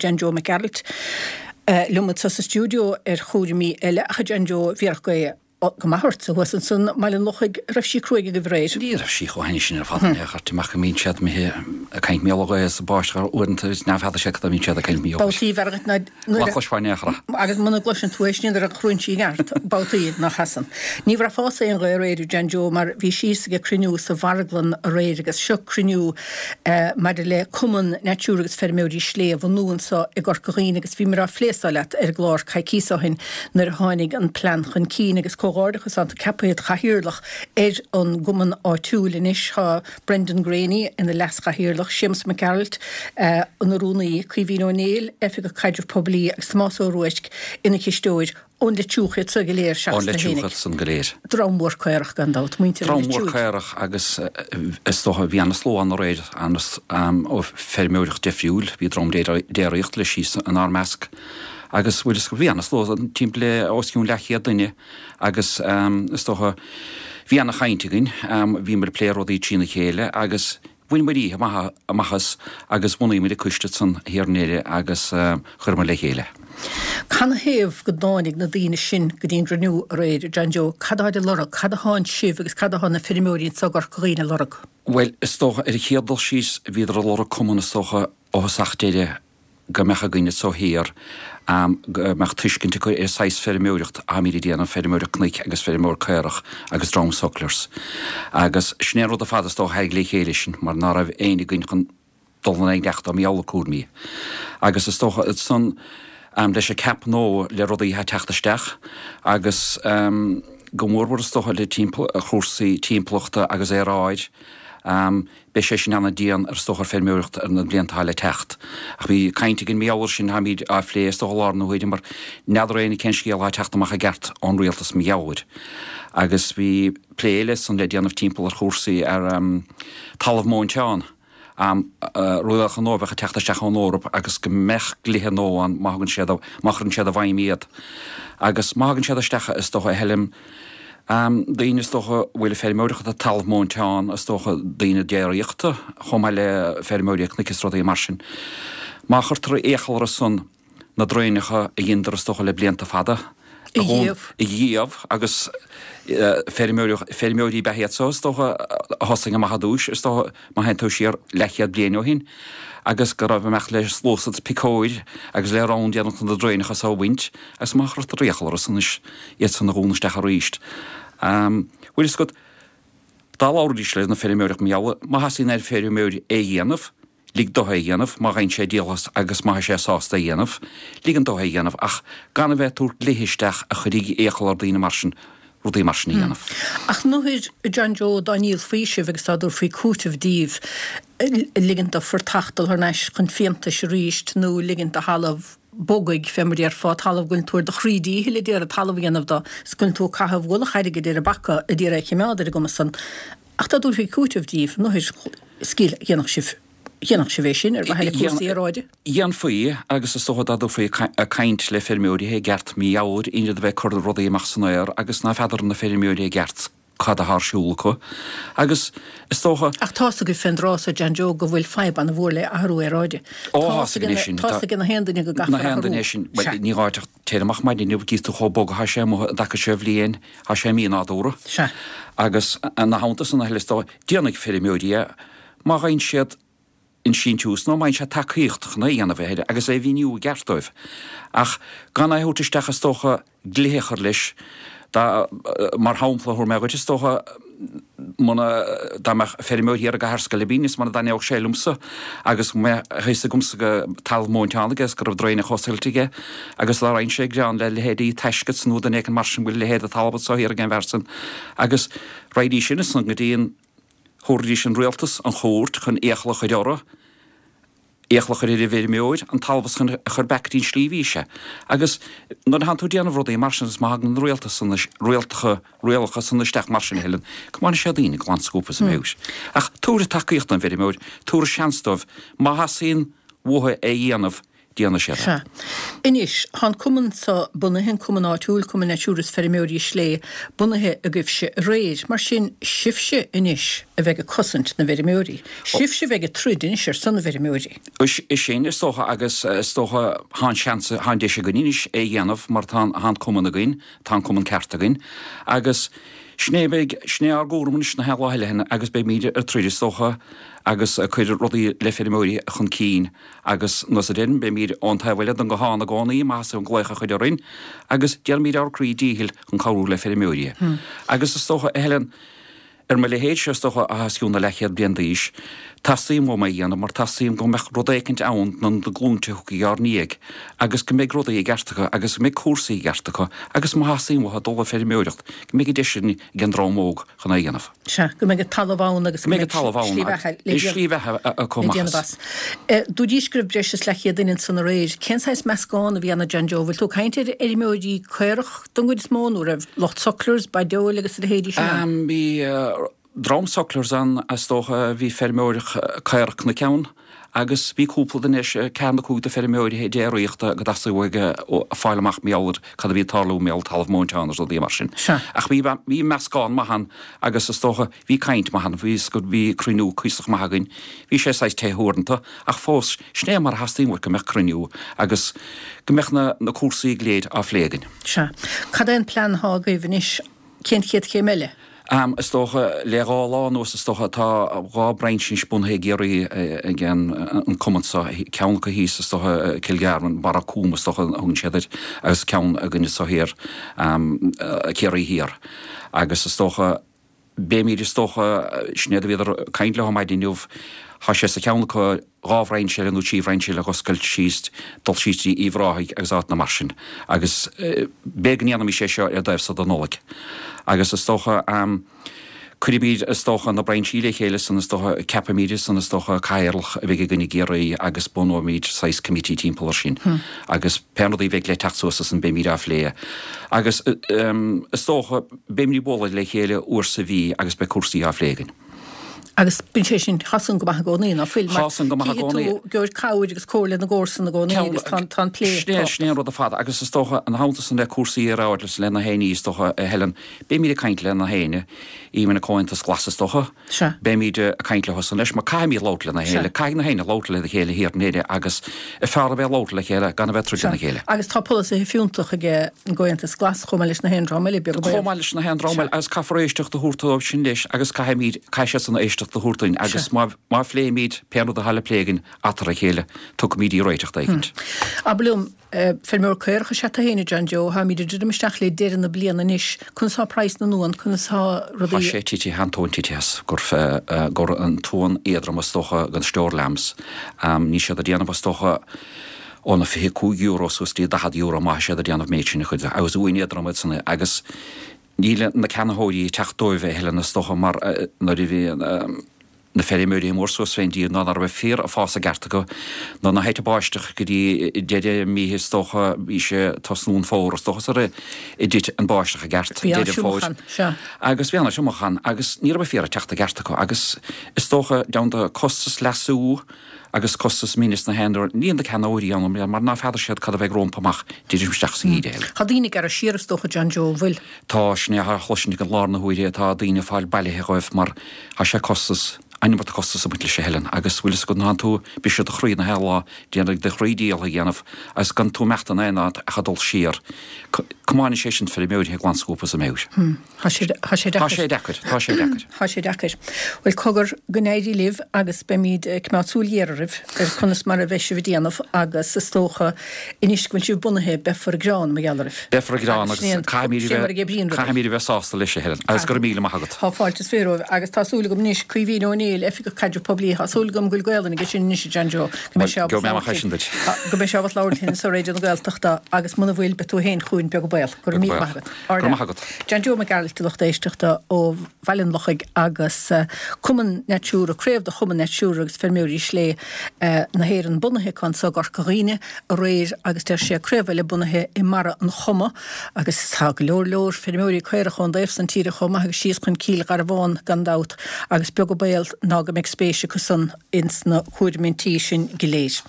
John Joe Mac Gearailt liom anseo sa stiúideo ar chúraimí eile ach a John Joe, bhí gaoth go maith ortsa thuas ansan i mBaile an Lochaigh, raibh sí cruaidh agaibh aréir? Ní raibh sí chomh hainnis sin ar fad in aon chor, amach go mbíonn siad imithe ag caint mar gheall ar ghaoth is báisteach uaireanta is n'fheadar sé cad a bhíonn siad ag caint mar gheall air. Babhtaí b'fhearr dhuit ná nuair a. Ná cloisfeá in aon chor é. Agus muna gcloiseann tú é sin nuair a chruann sí i gceart, babhtaí nach seasann. Ní bhraithfeása aon ghaoth aréir a John Joe mar bhís thíos ag cruinniú sa mharglann aréir agus seo cruinniú maidir le Cumann Natura agus Feirmeoirí Slé a bhunú anso i gCorca Dhuibhne agus bhíomar á phlé so leat ar an gclár coicíos ó shin nuair a tháinig an plean chun cinn agus comhghairdeachas tánn tú ceaptha id chathaoirleach ar an gcumann áitiúil anois. Tá Brendan Greaney ina leas-chathaoirleach, Séamus Mac Gearailt ina rúnaí, Caoimhín Ó Néill, Oifigeach Caidrimh Poiblí agus Tomás Ó Ruairc ina chisteoir. Ón Leitriúch iad so go léir seachas tú fhéinig. Ón Leitriúch iad san go léir. Dream mór caorach gan dabht, muintir an Leitriúigh. Dream mór caorach agus is dócha bhí ana-slua ann aréir, ó feirmeoireacht deifriúil, bhí dream déiríochta leis síos inár measc. Agus bhuel is bhí ana-slua timpeall le os cionn leathchéad duine agus is dócha bhí ana-chaint againn, bhíomar ag plé rudaí trína chéile agus bhaineamar oíche mhaith amach as agus bhunaíomar an coiste ansan thiar i nDoire agus chuireamar le chéile. Canathaobh go dtáinig na daoine sin go dtí an gcruinniú aréir, a John Joe? Cad atáid ag lorg? Cad atánn sibh agus cad atá na feirmeoirí anso i gCorca Dhuibhne ag lorg? Bhuel, is dócha ar an chéad dul síos bhíodar ag lorg cumann is dócha ó thosach deireadh go mbeadh againn anso thiar, go mbeadh tuiscint acu ar saghas feirmeoireacht atáimid ag déanamh, feirmeoireacht cnoic agus feirmeoir caorach agus dream sucklers. Agus sin é an rud ar fad is dócha a tharraing le chéile sinn, mar ná raibh éinne againn chun dul in aghaidh leachta mar gheall ar cúraimí. Agus is dócha ansan leis an CAP nua le rudaí atá ag teacht isteach agus go mórmhór is dócha le timpeall chúrsaí timpeallachta agus aeráid, Beidh sé sin ana-dian ar is dócha ar feirmeoireacht ar na blianta atá le teacht. Ach bhí caint againn mar gheall air sin, táimid á phlé is dócha i láthair na huaire mar n'fheadar éinne cén scéal atá ag teacht amach i gceart ón rialtas mar gheall air. Agus bhí plé eile ansan le déanamh timpeall ar chúrsaí ar talamh móinteán, rialacha nua a bheadh ag teacht isteach ón Eoraip agus go mbeadh dlíthe nua ann má thugann siad, má chuireann siad i bhfeidhm iad. Agus má thagann siad isteach is dócha a Helen, Daoine is dócha a bhfuil ag feirmeoireacht ar talamh móinteán, is dócha daoine déiríochta, chomh maith le feirmeoirí cnoic is rudaí mar sin. Má chuirtear iachall orthu san na draenacha a dheineadar is dócha le blianta fada a dhíobh. a dhíobh agus feirmeoirí ab ea iad so is dócha a thosaigh amach ar dtúis, is dócha má théann tú siar leathchéad bliain ó shin agus go raibh imeacht le sluasaid piocóir agus le rann déanamh chun na draenacha so a bhaint agus má chuirtear iachall orthu san anois iad san a dhúnadh isteach arís. Bhfuil fhios agat, dá labhraídís leis na feirmeoirí mar gheall, má theastaíonn ar feirmeoir é a dhéanamh, lig dó é a dhéanamh, má gheibheann sé díol as agus má tá sé sásta é a dhéanamh, ligean dó é a dhéanamh ach gan a bheith ag tabhairt dlíthe isteach a chuirfidh iachall ar daoine mar sin rudaí mar sin a dhéanamh. Ach nuair, a John Joe, dá ndíolfaí sibh agus dá dtabharfaí cúiteamh díbh, ligint do phortach dul thar n-ais chun fiántais arís nó ligint do thalamh bogaigh, fé mar a déarfá, talamh go bhfuil tú ar do chroí díchill ag iarraidh talamh a dhéanamh do, is go bhfuil tú ag caitheamh ualach airgid ar an bpaca ag iarraidh é a chimeád ar an gcuma san. Ach dá dtabharfaí cúiteamh díbh, nuair scil, dhéanfadh sibh, dhéanfadh sibh é sin ar mhaithe le cúrsaí aeráide? Dhéanfaí, agus is dócha dá dtabharfaí ag caint le feirmeoirí i gceart mar gheall air, in ionad a bheith ag cur rudaí amach san aer agus ná feadar na feirmeoirí i gceart cad atá ar siúl acu. Agus is dócha. Ach tá's agaibh fén dtráth so, John Joe, go bhfuil fadhb ana-mhór le athrú aeráide. Ó, tá's againn é sin. Tá's ag na haon duine go gcaithfear athrú. Na haon duine é sin. Bhuel, ní gá duit ach téir amach maidin inniu, gcífidh tú chomh bog atá sé amuigh i dtaca seo bhliain, tá sé mí-nádúrtha. Sea. Agus ina theannta san a thuilleadh is dócha, déanfaidh feirmeoirí é má gheibheann siad an síntiús nó má fhaigheann siad tacaíocht chun é a dhéanamh a agus é a mhíniú i gceart dóibh. Ach gan é a thabhairt isteach is dócha dlíthe a chur leis. Dá, mar shampla a thabharfaidh mé dhuit, is dócha, muna, dá mbeadh feirmeoir thiar i gCathair Sceilibín is muna dtaitneodh sé liomsa agus go mbeadh a fhios agamsa go talamh móinteán aige is go raibh draenacha oscailte aige agus dá raghainn-se ag gearán le leithéidí Taisce nó duine éicint mar sin go bhfuil a leithéid de talamh anso thiar ag an bhfear san agus raghaidís ansan go dtí an, thabharfaidís an rialtas, an chúirt chun iachall a chur orthu. Iachall a chur ar an bhfeirmeoir an talamh san a chur back go dtí an slí a bhí sé. Agus nuair a thánn tú ag déanamh rudaí mar sin agus má thagann na rialtas san, rialtacha, rialacha san isteach mar sin a Helen, comáinfidh sé daoine glan scuabtha as a meabhair. Ach tabhair tacaíocht don bhfeirmeoir, tabhair seans dóibh, má theastaíonn uathu é a dhéanamh. Déanfaidh siad é. Sea. Anois, tá an cumann so bunaithe, an cumann áitiúil, Cumann Natura is Feirmeoirí Slé, bunaithe agaibhse aréir. Mar sin, sibhse anois a bheidh ag cosaint na bhfeirmeoirí. Sibhse a bheidh ag troid anois ar son na bhfeirmeoirí. Is sin, is dócha, agus is dócha, tá an seans, tá an deis againn anois é a dhéanamh mar tá an cumann againn, tá an cumann ceart againn agus sin é a bheidh, sin é ár gcúram anois na haon lá eile agus beimid ag troid, is dócha, agus ag cur rudaí le feirmeoirí chun cinn. Agus nós a deirim, beimid ón taobh eile den guthán i gcónaí, má theastaíonn glaoch a chur orainn, agus déanfaimid ár gcroí díchill chun cabhrú le feirmeoirí. Agus is dócha, a Helen, ar mo leithéidse, is dócha, atá os cionn na leathchéad bliain d'aois, teastaíonn uaim é a dhéanamh mar teastaíonn go mbeadh rud éicint ann do na glúinte a thiocfaidh ár ndiaidh agus go mbeidh rudaí i gceart acu agus go mbeidh cúrsaí i gceart acu agus má theastaíonn uathu dul ag feirmeoireacht, go mbeidh an deis sin ag an dream óg chun é a dhéanamh. Sea, go mbeidh an talamh ann agus go mbeidh slí bheatha le slí bheatha acu le déanamh as. Dúraís go raibh breis is leathchéad duine ansan aréir. Cén saghas meascán a bhí ann a John Joe? Bhfuil tú ag caint ar fheirmeoirí caorach don gcuid is mó nó raibh lucht sucklers, baideoil agus a leithéidí sin ann? Bhí dream sucklers ann is dócha, bhí feirmeoir caorach cnoic ann Agus bhí cúpla duine, ceathair nó cúig de feirmeoirí déiríochta go dteastaigh uathu fáil amach mar gheall ar cad a bhí ag tarlú mar gheall ar talamh móinteán agus rudaí mar sin. Ach bhí, bhí meascán maith ann agus is dócha, bhí caint maith ann, bhí, bhí cruinniú cuíosach maith againn. Bhí sé saghas te uaireanta ach fós, sin é mar a theastaíonn uait go mbeadh cruinniú agus go mbeadh na, na cúrsaí go léir á phlé againn. Sea. Cad é an plean atá agaibh anois? Cén chéad chéim eile? Am, is dócha, le dhá lá anuas, is dócha, tá dhá brainse anois bunaithe i gCiarraí ag an cumann seo, ceann acu thíos, is dócha, Cill Garbhán, Barra Cúm, is dócha a thugann siad air, agus ceann againn anseo thiar, Ciarraí Thiar. Agus is dócha, beimid, is dócha, sin iad a bhíodar ag caint leo maidin inniu, tá sé sa cheann acu, dhá bhrainse eile nó trí bhrainse eile a dh'oscailt síos, dul síos dtí Uíbh Ráthaigh agus áiteanna mar sin. Agus b'fhéidir go ndéanfaimis é seo ar an dtaobh so de Nollaig. Agus is dócha, cuirfimid, is dócha, na brainsí le chéile san, is dócha, ceapfaimid san, is dócha, cathaoirleach a bheidh againn i gCiarraí agus bunóimid saghas committee timpeall ar sin. Agus pé rudaí a bheidh le teacht suas ansan beimid á phlé. Agus is dócha, beimid ag bualadh le chéile uair sa mhí agus beidh cúrsaí á phlé againn. Agus bíonn sé sin, tá san go maith i gcónaí, ná fuil? Mar Tá san go maith i gcónaí. Cífidh tú gheobhaidh cabhair agus comhairle na gcomharsan i gcónaí agus tá tá an plé Sin é, sin é an rud ar fad agus is dócha, ina theannta san le cúrsaí ar ard le na héinní is dócha, a Helen, beimid ag caint le na héinne, even an Comhaontas Glas is dócha, Sea. beimid ag caint leo san leis mar caithfimid labhairt lena chéile, caithfidh na héinne labhairt lena chéile thiar in Éirinn agus is fearr a bheith ag labhairt le chéile gan a bheith ag troid lena chéile. Agus tá polasaithe fiúntach ag an gComhaontas Glas chomh maith leis na haon dream eile, beag an baol. Chomh maith leis na haon dream eile agus caithfear éisteacht a thabhairt dóibh sin leis agus caithfimid, caithfidh siadsan éisteacht a thabhairt dúinn agus má, má phléimid pé rud atá le plé againn eatarthu a chéile, tiocfaimid i réiteach éicint. Abair liom, feirmeoir caorach is ea tú féin, a John Joe, táimid ag druidim isteach le deireadh na bliana anois, conas tá praghas na n-uan, conas tá rudaí. Tá sé titithe, an t-uan titithe as, gur, gur an t-uan éadrom is dócha den store lambs, níl siad ag déanamh is dócha óna €25 suas dtí €40 má tá siad ag déanamh méid sin a chuid agus uain éadrom iad san agus níl na ceannaitheoirí ag teacht dóibh a Helen is dócha mar nuair a bhí na feirmeoirí mór suas fén dtír ná ná raibh féar ag fás i gceart acu ná ná thit an báisteach go dtí deireadh mí is dócha bhí sé tosnú an fómhar is dócha sar a dtit an báisteach i gceart deireadh fómhair agus bhí ana-thriomach ann agus ní raibh féar ag teacht i gceart acu agus is dócha déanta costas leasú agus costas mine sna haon rud, níl na ceannaitheoirí ann mar ná feadar siad cad a bheidh rómpa amach druidim isteach sa gheimhreadh eile. Tá daoine ag gearradh siar is dócha John Joe, an bhfuil? Tá, sin é a chloisint ag an lár na huaire atá daoine ag fáil bailithe dhóibh mar tá sé costas, an iomarca costas ag baint leis a Helen agus bhfuil fhios agat ná tú briseadh do chroí na haon lá déanamh do chroí díol a dhéanamh agus gan tú imeacht in aon áit ach ag dul siar. Comáineann sé sin feirmeoirí glan scuabtha as a meabhair. Tá sé tá sé deacair. Tá sé deacair, tá sé deacair. Tá sé deacair. Bhuel, cogar, go n-éirí libh agus beimid ag coimeád súil ghéar oraibh ar conas mar a bheidh sibh ag déanamh agus is dócha anois go bhfuil sibh bunaithe beifear ag gearán mar gheall oraibh. Beifear ag gearán agus caithfimid a bheith, caithfimid a bheith sásta leis, a Helen, agus go raibh míle maith agat. Tá fáilte is fiche romhaibh agus tá súil agam anois, Caoimhín Ó Néill, Oifigeach Caidrimh Poiblí, tá súil agam go bhfuil Gaolainn aige sin anois, a John Joe, go mbeidh sé ábalta labhairt linn, go mbeidh sé ábalta labhairt linn ar Raidió na Gaeltachta agus muna bhfuil, beidh tú féin chugainn beag an baol. Go raibh míle maith agat. Go raibh maith agat. John Joe Mac Gearailt, a lucht éisteachta ó Bhaile an Lochaigh agus Cumann Natura, craobh de Chumann Natura agus Feirmeoirí Slé na hÉireann bunaithe acu anso i gCorca Dhuibhne aréir agus deir sé craobh eile bunaithe i mBarra an Choma agus tá go leor leor feirmeoirí caorach ón dtaobh san tíre chomh maith agus síos chun Cill Gharbháin gan dabht agus beag an baol ná go mbeidh spéis acu san ins na cúraimí sin go léir.